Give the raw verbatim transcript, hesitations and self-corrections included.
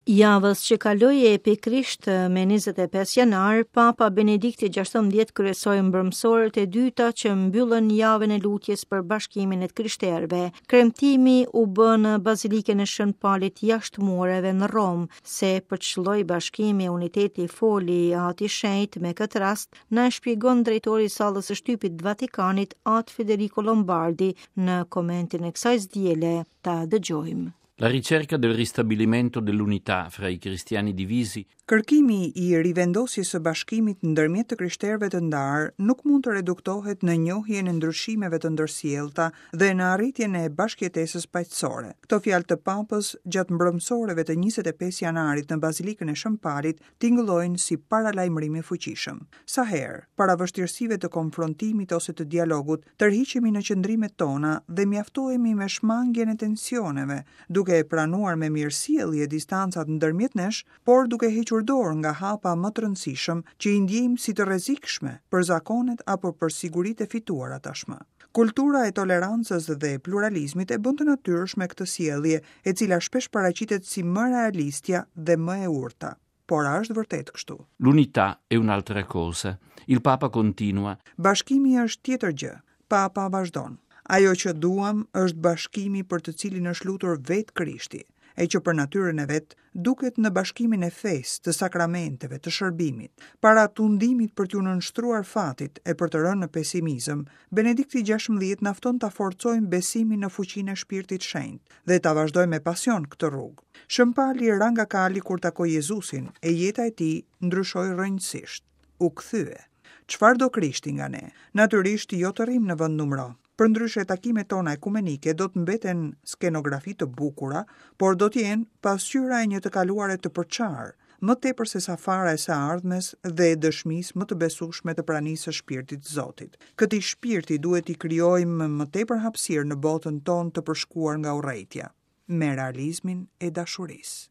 Javës që kaloi e pikërisht me njëzet e pesë janar, Papa Benedikti gjashtëmbëdhjetë kryesoi mbrëmësorët e dyta që mbyllën javën e lutjes për bashkimin e të krishterëve. Kremtimi u bë në Bazilikën e Shën Palit jashtë mureve në Romë, se për ç'lloj bashkimi e uniteti foli Ati Shenjt me këtë rast, na e shpjegon drejtori i sallës së shtypit të Vatikanit, At Federico Lombardi, në komentin e kësaj diele. Ta dëgjojmë. La ricerca del ristabilimento dell'unità fra i cristiani divisi. Kërkimi i rivendosjes së bashkimit ndërmjet të krishterëve të ndarë nuk mund të reduktohet në njohjen e ndryshimeve të ndërsjellta dhe në arritjen e bashkëjetesës paqësore. Këto fjalë të Papës gjatë mbrëmësoreve të njëzet e pesë janarit në Bazilikën e Shën Palit tingëllojnë si paralajmërim i fuqishëm. Sa herë, para vështirësive të konfrontimit ose të dialogut, tërhiqemi në qëndrimet tona dhe mjaftohemi me shmangien e tensioneve, duke e pranuar me mirësjellje distancat ndërmjet nesh, por duke hequr dorë nga hapa më të rëndësishëm që i ndjejmë si të rrezikshme për zakonet apo për siguritë e fituara tashmë. Kultura e tolerancës dhe pluralizmit e bën të natyrshme këtë sjellje, e cila shpesh paraqitet si më realistja dhe më e urta. Por a është vërtet kështu? L'unità è un'altra cosa. Il Papa continua. Bashkimi është tjetër gjë. Papa vazhdon. Ajo që duam është bashkimi për të cilin është lutur vetë Krishti, e që për natyrën e vet duket në bashkimin e fesë, të sakramenteve, të shërbimit. Para tundimit për t'ju nënshtruar fatit e për të rënë në pesimizëm, Benedikti gjashtëmbëdhjetë na fton ta forcojmë besimin në fuqinë e Shpirtit Shenjt dhe ta vazhdojmë me pasion këtë rrugë. Shën Pali ra nga kali kur takoi Jezusin, e jeta e tij ndryshoi rrënjësisht. U kthye. Çfarë do Krishti nga ne? Natyrisht jo të rrim në vend numëro. Përndryshe takimet tona ekumenike do të mbeten skenografi të bukura, por do të jenë pasqyra e një të kaluare të përçarë, më tepër se sa fara e së ardhmes dhe e dëshmisë më të besueshme të pranisë së Shpirtit të Zotit. Këtij shpirti duhet i krijojmë më tepër hapësirë në botën tonë të përshkuar nga urrejtja, me realizmin e dashurisë.